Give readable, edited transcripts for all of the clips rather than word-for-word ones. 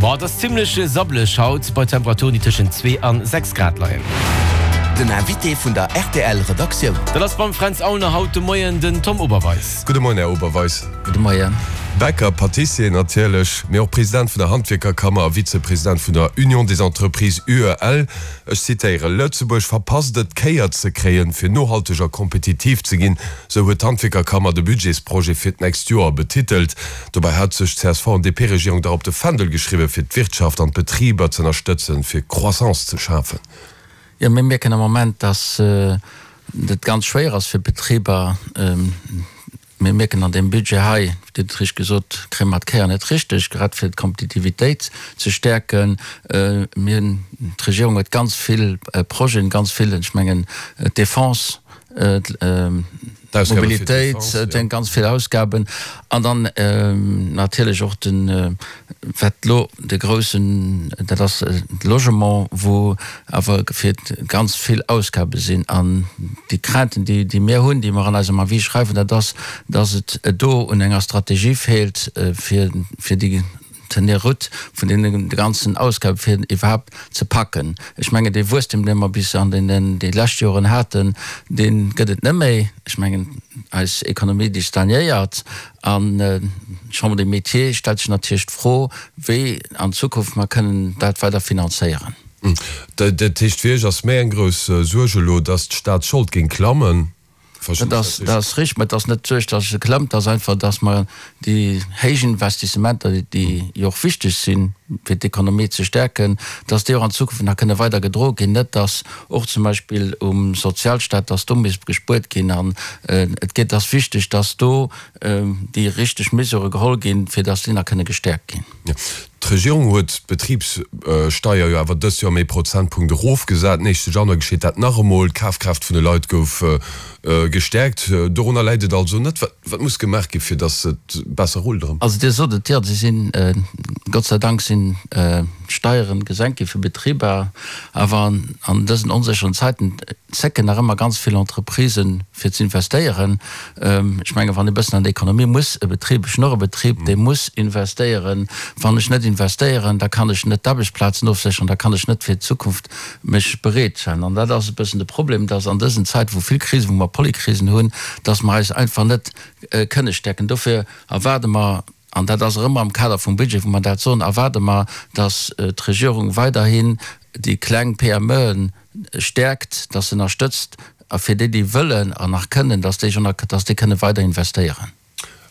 Bon, et ass zimmlech sabbleg haut, bei Temperaturen, déi tëschent 2 an 6 Grad leien. Den Invité vun der rtl Redaktioun. Dat ass beim Fränz Aulner haut de Moien den Tom Oberweis. Gudde Moien, Här Oberweis. Gudde Moien. Bäcker, Patissier natierlech, mee och President vun der Handwierkerkammer a Vizepresident vun der Union des Entreprises, UEL. Ech zitéieren, Lëtzebuerg verpasst et, d'Kéier ze kréien, fir nohalteg a kompetitiv ze ginn, sou huet d'Handwierkerkammer de Budgetsprojet fir d'nächst Joer betitelt. Dobäi hat sech d'CSV an DP-Regierung dach op de Fändel geschriwwen, fir d'Wirtschaft an d'Betriber z'ënnerstëtzen, fir Croissance ze schafen. Jo, mir mierken am Moment, dass et ganz schwéier ass fir d'Betriber. Mir mierken an deem Budget hei, Dir hutt et richteg gesot, kréie mer d'Kéier net richteg, grad fir d'Kompetitivitéit ze stäerken. Mir hunn, d'Regierung huet ganz vill Projeten, ganz vill, ech mengen d'Defense, d'Mobilitéit, et ganz vill Ausgaben an dann natierlech och den, wat elo de groussen, dat ass de Logement, wou awer fir ganz vill Ausgabe sinn. An déi Crainten, déi mir hunn, déi mer an eisem Avis schreiwen, dat ass, dass et do un enger Strategie feelt, fir déi Tenir route vun deene ganzen Ausgabe fir iwwerhaapt ze packen. Ech mengen, dee Wuesstem, dee mer bis an deenen, déi lescht Joren haten, dee gëtt et net méi. Ech mengen, eis Ekonomie, déi stagnéiert. An d'Chambre des Métiers stellt sech natierlech d'Fro, wéi an Zukunft mer kënnen dat weider finanzéieren. Dat heescht, fir Iech ass méi eng grouss Suerg elo, datt d'Staatsschold géing klammen? Dat ass richteg, mä et ass net d'Suerg, datt se klëmmt, et ass einfach, datt mer déi héich Investissementer, déi jo och wichteg sinn, fir d'Ekonomie ze stäerken, datt déi och an Zukunft nach kënne weider gedroe ginn. Net datt och zum Beispill um Sozialstaat, datt do misst gespuert ginn. An et geet, ass wichteg, datt do déi richteg Mesurë geholl ginn, fir datt déi nach kënne gestäerkt ginn. D'Regierung huet d'Betribssteier jo awer dëst Joer ëm ee Prozentpunkt erofgesat. Den éischte Januar geschitt dat nach emol. D'Kafkraaft vun de Leit gouf gestäerkt. Dorunner läit et also net. Wat muss gemaach gi fir datt et besser rullt erëm? Also Dir sot et, jo, se sinn, Gott sei Dank sinn d'Steiere gesenkt gi fir Betriber. Awer an dësen onsécheren Zäiten zécken nach ëmmer ganz vill Entreprisen, fir ze investéieren. Ech mengen, wann ee bëssen an der Ekonomie muss e Betrib, ech hunn och e Betrib, dee muss investéieren. Wann ech net investéieren, da kann ech net d'Aarbechtsplazen ofsécheren, da kann ech net fir d'Zukunft mech bereetstellen. An dat ass e bëssen de Problem, dass an dësen Zäiten, wou vill Krisen, wou mer Polykrisen hunn, dass mer eis einfach net kënne stäerken. Dofir erwaarde mer, an dat ass och ëmmer am Kader vum Budget, wou mer dat soen, erwaarde mer, dass d'Regierung weiderhin déi kleng PMEen stäerkt, dass se ënnerstëtzt a fir déi, déi wëllen an nach kënnen, dass déi dass déi kënne weider investéieren.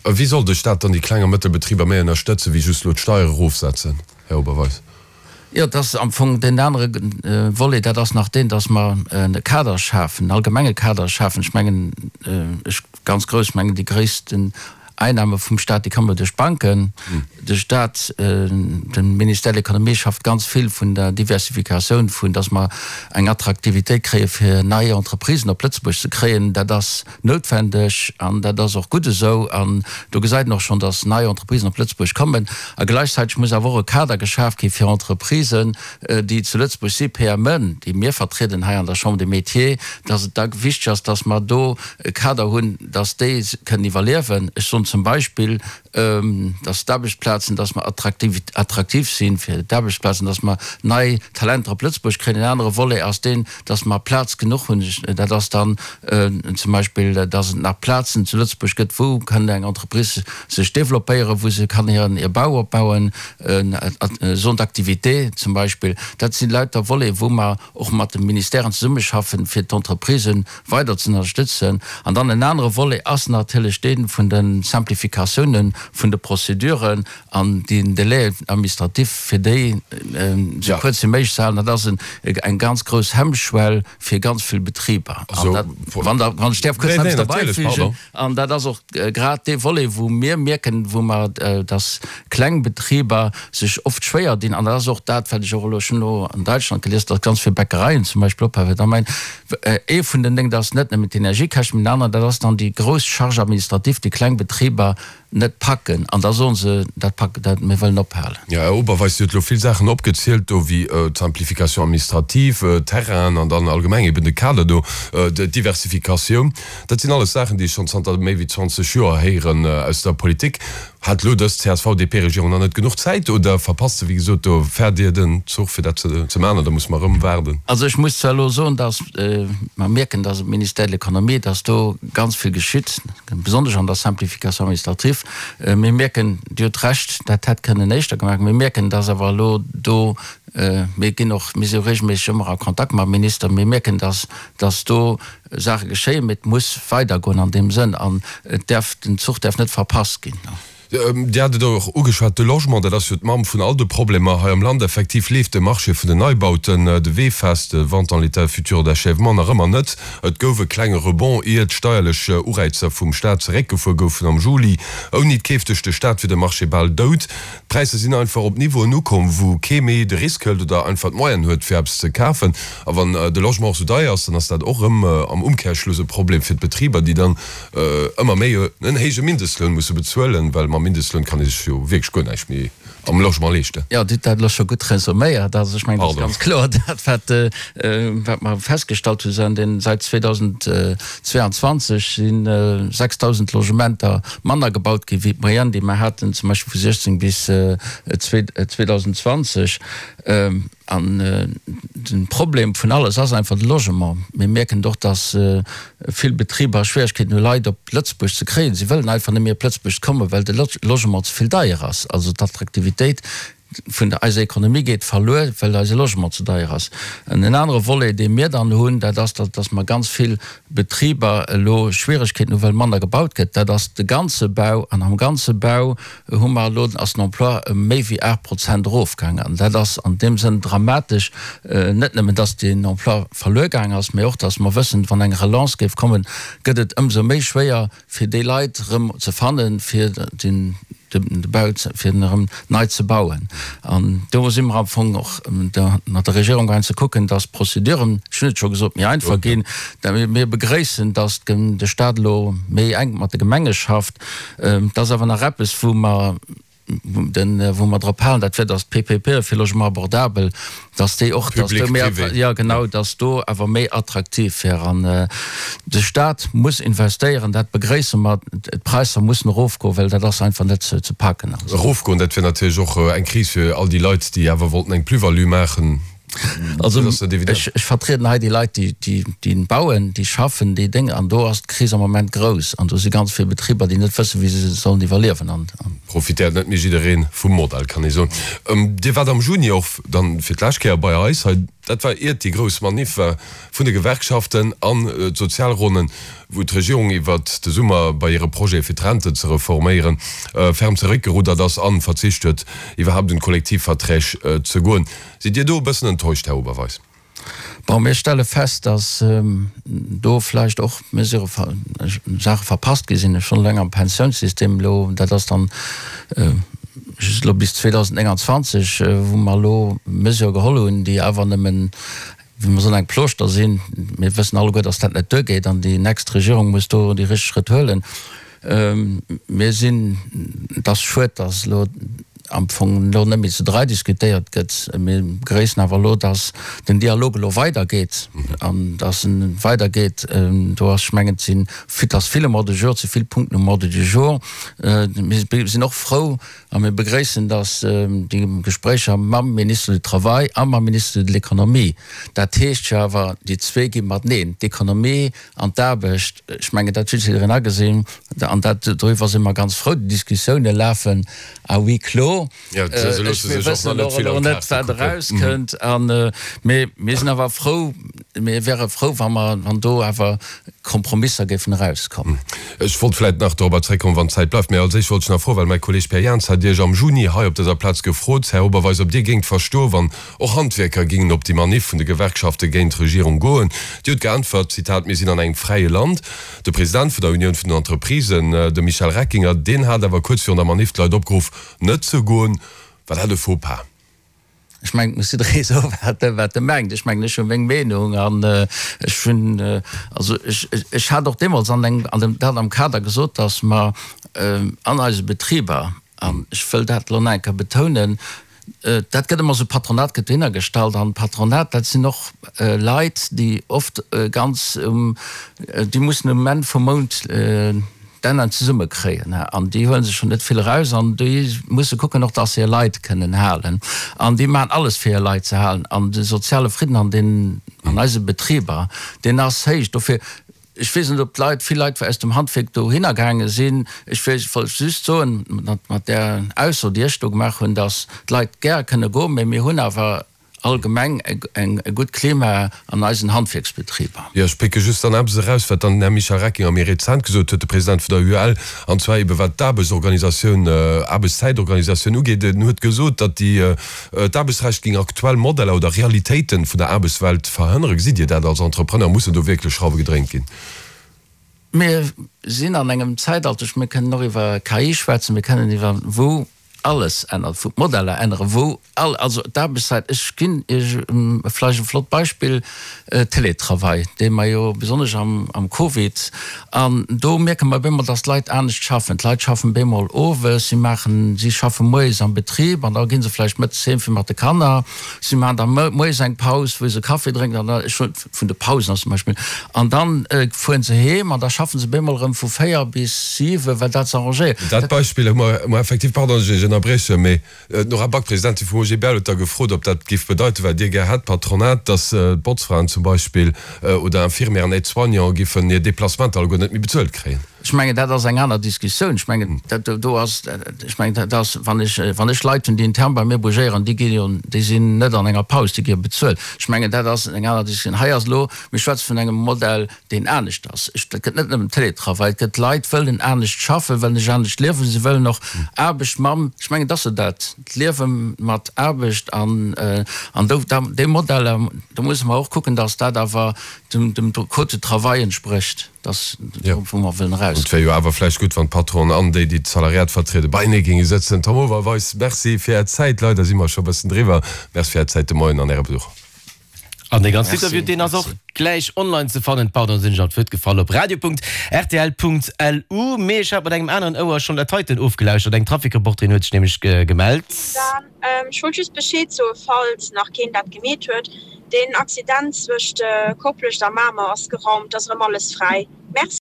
A wéi soll de Staat dann déi kleng a Mëttelbetriber méi ënnerstëtzen, wéi just elo d'Steier erofsetzen, Här Oberweis? Jo, et ass am Fong deen anere Volet, dat ass nach deen, dass mer e Kader schafen, en allgemenge Kader schafen. Ech mengen, ech ganz grouss, ech mengen déi gréissten Einnahme vum Staat, déi komme duerch d'Banken. De Staat, de Ministère de l'Économie schafft ganz vill vun der Diversifikatioun, vun datt mer eng Attraktivitéit kréie fir nei Entreprisen op Lëtzebuerg ze kréien. Dat ass noutwendeg an dat ass och gutt esou. An do gesäit een och schonn, datt nei Entreprisen op Lëtzebuerg kommen. A gläichzäiteg muss awer och e Kader geschaf gi fir Entreprisen, déi zu Lëtzebuerg si, PMEen, déi mir vertrieden hei an der Chambre des Métiers, datt et da wichteg ass, datt mer do e Kader hunn, dass déi kënnen iwwerliewen. Ech soen zum Beispill, dass d'Aarbechtsplazen, dass mer attraktiv si fir d'Aarbechtsplazen, dass mer nei Talenter op Lëtzebuerg kréien. En anere Volet ass deen, dass mer Plaz genuch hunn. Dat ass dann zum Beispill, dass et nach Plazen zu Lëtzebuerg gëtt, wou kann eng Entreprise sech développéieren, wou se kann hiren hir Bau opbauen, Zone d'activité zum Beispill. Dat si lauter Voleten, wou mer och mat de Ministèren zesummeschaffen, fir d'Entreprisen weider ze ënnerstëtzen. An dann en anere Volet ass natierlech dee vun de Simplificatiounen vun de Prozeduren an den Délais administratifs, fir déi esou kuerz wéi méiglech ze halen. Dat ass eng ganz grouss Hemmschwell fir ganz vill Betriber. An dat, wann Der, wann ech däerf kuerz nach eppes derbäifügen, an dat ass och grad dee Volet, wou mir mierken, wou mer, dass kleng Betriber sech oft schwéier dinn. An dat ass och dat, wat ech och elo, ech hunn elo an Däitschland gelies, dass ganz vill Bäckereien zum Beispill ophale. Da mein, ee vun den Déngen, dat ass net nëmmen d'Energiekäschten, mee den aneren, dat ass dann déi grouss Charge administrative, déi kleng Betriber. net packen an da soen se, dat pack, dat, mir wëllen ophalen. Jo, Här Oberweis, Dir hutt elo vill Saachen opgezielt do, wéi d'Simplification administrative, d'Terrainen an dann allgemeng eben de Kader do, d'Diversifikatioun. Dat sinn alles Saachen, déi ech schonn zanter méi wéi 20 Joer héieren aus der Politik. Hat elo dës CSV-DP-Regierung nach net genuch Zäit oder verpasst se, wéi gesot, do fäert Dir den Zuch fir dat ze maachen oder muss mer erëm waarden? Also ech muss zwar elo soen, datt mer mierken, datt um Ministère de l'Économie, datt do ganz vill geschitt, besonnesch an der Simplification administrative. Mir mierken, Dir hutt Recht, dat hätt kënnen éischter gemaach ginn. Mir mierken, datt awer elo do, mir ginn och, mir si jo regelméisseg ëmmer a Kontakt mam Minister, mir mierken, datt, datt do Saache geschéien, mee et muss weidergoen an deem Sënn an et däerf, den Zuch däerf net verpasst ginn. Dir hat et och ugeschwat, de Logement, dat ass jo d'Mamm vun all de Problemer hei am Land. Effektiv leeft de Marché vun den Neibauten, de VEFAS, de Vente en l'état futur d'achèvement, nach ëmmer net. Et gouf e klenge Rebond, ier d'steierlech Ureizer vum Staat zeréckgefuer goufen am Juli. Ouni d'Keef duerch de Staat wier de Marché bal dout. D'Präisser sinn einfach op Niveauen ukomm, wou kee méi de Risk hëlt oder einfach d'Moyenen huet, fir eppes ze kafen. A wann de Logement och sou deier ass, dann ass dat och erëm am Umkehrschluss e Problem fir d'Betriber, déi dann ëmmer méi en héije Mindestloun musse bezuelen, well mam Mindestloun kann ee sech jo wierklech guer näischt méi am Logement leeschten. Jo, Dir hutt dat elo scho gutt resuméiert. Also ech mengen, et ass ganz kloer, dat wat wat mer festgestallt hu säit 2022 si 6.000 Logementer manner gebaut gi wéi d'Moyenne, déi mer haten zum Beispill vu 16 bis 2020. An de Problem vun alles ass einfach de Logement. Mir mierken et och, datt vill Betriber Schwieregkeeten hu Leit op Lëtzebuerg ze kréien. Si wëllen einfach net méi op Lëtzebuerg kommen, well de Logement ze vill deier ass. Also d'Attraktivitéit vun der eiser Ekonomie geet verluer, well eise Logement ze deier ass. En anere Volet, dee mir dann hunn, dat ass, datt mer ganz vill Betriber elo Schwieregkeeten hu well manner gebaut gëtt. Dat ass de ganze Bau. An am ganze Bau hu mer elo, ass den Emploi ëm méi wéi 8 Prozent erofgaangen. An dat ass an deem Sënn dramatesch, net nëmmen, datt deen Emploi verluer gaang ass, mä och, datt mer wëssen, wann eng Relance géif kommen, gëtt et ëmsou méi schwéier, fir déi Leit erëm ze fannen, fir den de Bau, fir en erëm nei ze bauen. An do si mer am Fong och mat der Regierung gaangen ze kucken, dass d'Prozeduren, ech hunn et scho gesot, méi einfach ginn. Mir begréissen, dass de Stat elo méi enk mat de Gemenge schafft. Et ass awer nach eppes, wou mer, wou mer drop halen, dat wär, dass d'PPPe fir Logement abordabel, dass déi och, dass do méi, jo genau, dass do awer méi attraktiv wär. An de Stat muss investéieren, dat begréisse mer. D'Präisser mussen erofgoen, well dat ass einfach net ze paken. Erofgoen, dat wär natierlech och eng Kris fir all déi Leit, déi awer wollten eng Plus-value maachen. Also ech vertrieden hei déi Leit, déi bauen, déi schaffen, déi Déng, an do ass d'Kris am Moment grouss an do si ganz vill Betriber, déi net wëssen, wéi se sollen iwwerliewen. Profitéiert net méi jidderee vum Modell, kann ee soen. Dir waart am Juni och dann fir d'lescht Kéier bei eis hei, dat war iert déi grouss Maniff war vun de Gewerkschaften an d'Sozialronnen, wou d'Regierung iwwert de Summer bei hire Projet fir d'Renten ze reforméieren ferm zeréckgeruddert ass an verzicht huet iwwerhaapt un d'Kollektivverträg ze goen. Sidd Dir do e bëssen enttäuscht, Här Oberweis? Bon, mir stelle fest, dass do vläicht och Mesure, Saache verpasst gi sinn. Schonn eleng am Pensiounssystem elo, dat ass dann just elo bis 2029, wou mer elo Mesure geholl hunn, déi awer nëmmen, wéi mer soen, eng Plooschter sinn. Mir wëssen alleguer, dass dat net duergeet an déi nächst Regierung muss do déi richteg Schrëtt huelen. Mir sinn, et ass schued, dass elo am Fong elo net méi zu 3 diskutéiert gëtt. Mir begréissen awer elo, dass den Dialog elo weidergeet an dass en weidergeet. Do ass, ech mengen, et sinn, et ass vill um Ordre du jour, et si vill Punkten um Ordre du jour. Mir sinn och frou a mir begréissen, dass déi Gespréicher mam Ministre du Travail a mam Ministre de l'Économie, dat heescht jo awer, déi zwee gi mateneen, d'Économie An d'Aarbecht, ech mengen, dat huet jiddereen agesinn, an dat, doriwwer si mer ganz frou. Déi Diskussioune lafen à huis clos. Jo, se loosse sech och nach net vill an d'Kaarte kucken. Mir wëssen och elo net, wat erauskënnt. An, mee mir sinn awer frou, mir wäre frou, wa mer, wann do awer Kompromisser géifen erauskommen. Ech wollt vläicht nach dorobber zréckkommen, wann d'Zäit bleift. Mee als éischt wollt ech nach froen, well mäi Kolleeg Pierre Jans hat Iech am Juni hei op dëser Plaz gefrot, Här Oberweis, ob Dir géingt verstoen, wann Och Handwierker gingen op déi Maniff vun de Gewerkschafte géint d'Regierung goen. Déi huet geäntwert, Zitat, Mir sinn an engem fräie Land. De President vun der Unioun vun den Entreprisen, de Michel Reckinger, deen hat awer kuerz virun der Maniff d'Leit opgeruff, net ze goen. War dat e Faux-pas? Ech mengen, et muss jidderee soen, wat e, wat e mengt. Ech mengen, ech hu meng Meenung an ech hunn, also ech, ech hat och deemools an engem, an dem, dat am Kader gesot, datt mer an eise Betriber, an ech wëll dat elo nach eng Kéier betounen, dat gëtt ëmmer esou, Patronat gëtt dohinner gestallt an d'Patronat, dat sinn och Leit, déi oft ganz um, déi mussen um Enn vum Mount d'Ennen zesumme kréien an déi huele sech schonn net vill eraus an déi musse kucken och, dass se hir Leit kënnen halen an déi maachen alles fir hir Leit ze halen an de soziale Fridden an den, an eise Betriber, deen ass héich. Dofir, ech weess net, ob d'Leit, vill Leit aus dem Handwierk dohinner gaange sinn. Ech wollt just soen, mat där Ausso, déi ech do gemaach hunn, dass d'Leit gär kënne goen, mä mir hunn awer allgemeng e gutt Klima an eisen Handwierksbetriber. Jo, ech pécke just dann eppes eraus, wat dann den Här Michel Reckinger méi rezent gesot huet, de President vun der UEL, an zwar ebe wat d'Aarbechtsorganisatioun, Aarbechtszäitorganisatioun ugeet. En huet gesot, datt déi, d'Aarbechtsrecht géing aktuell Modeller oder Realitéiten vun der Aarbechtswelt verhënneren. Gesitt Dir dat als Entrepreneur? Mussen do wierklech Schrauwe gedréint ginn? Mir sinn an engem Zäitalter, mir kënnen och iwwer KI schwätzen, mir kënnen iwwer, wou alles ännert, wou d'Modeller änneren, wou all, also d'Aarbechtszäit, ech ginn Iech vläicht e flott Beispill, Télétravail, dee mer jo besonnesch am, am Covid, an do mierke mer bemol, dass d'Leit anescht schaffen. D'Leit schaffen bemol owes, si maachen, si schaffe moies am Betrib an da gi se vläicht mëttes heem fir mat de Kanner, si maachen da moies eng Paus, wou se Kaffi drénken an da, ech hunn, vun de Pausen ass zum Beispill, an dann fueren se heem an da schaffen se bemol erëm vu 4 bis 7, well dat s'arrangéiert. Dat Beispill hu mer hu mer effektiv, pardon, datt ech Iech ënnerbriechen, mee d'Nora Back, Presidentin vum OGBL, huet da gefrot, ob dat géif bedeiten, wat Dir gär hätt, d'Patronat, datt d'Botzfraen zum Beispill oder Infirmièren, Aides-soignants géifen hir Déplacementer alleguer net méi bezuelt kréien. Ech mengen, dat ass eng aner Diskussioun. Ech mengen, dat do ass, ech mengen, dat ass, wann ech, wann ech Leit hunn, déi intern bei mir bougéieren, déi gi jo, déi sinn net an enger Paus, déi gi jo bezuelt. Ech mengen, dat ass eng aner Diskussioun. Hei ass elo, mir schwätze vun engem Modell, deen anescht ass. Ech, dat gëtt net nëmmen Télétravail, et gëtt Leit, wëllen anescht schaffen, wëllen sech anescht liewen, se wëllen och Aarbecht mam, ech mengen, et ass jo dat, d'Liewe mat Aarbecht an, an do, da, déi Modeller, do musse mer och kucken, datt dat awer dem, dem Code du travail entsprécht. Dass do, wou mer wëllen eraus. Et wär jo awer vläicht gutt, wann d'Patronen an déi, déi d'Salariat vertrieden, beienee géinge sëtzen. Tom Oberweis, Merci fir Är Zäit. Leider si mer scho e bëssen driwwer. Merci fir Är Zäit de Moien an Äre Besuch. An dee ganzen Interview, deen ass och gläich online ze fannen, pardon, sinn ech an d'Wuert gefall, op radio.rtl.lu. Mee ech hat mat engem aneren Ouer schonn dat heiten ofgelauschtert. Eng Trafikreporterin huet sech nämlech gemellt. Dan, ech wollt just Bescheed soen, falls nach keen dat gemeet huet, deen Accident zwëscht Koplescht a Mamer ass geraumt, ass erëm alles fräi. Merci.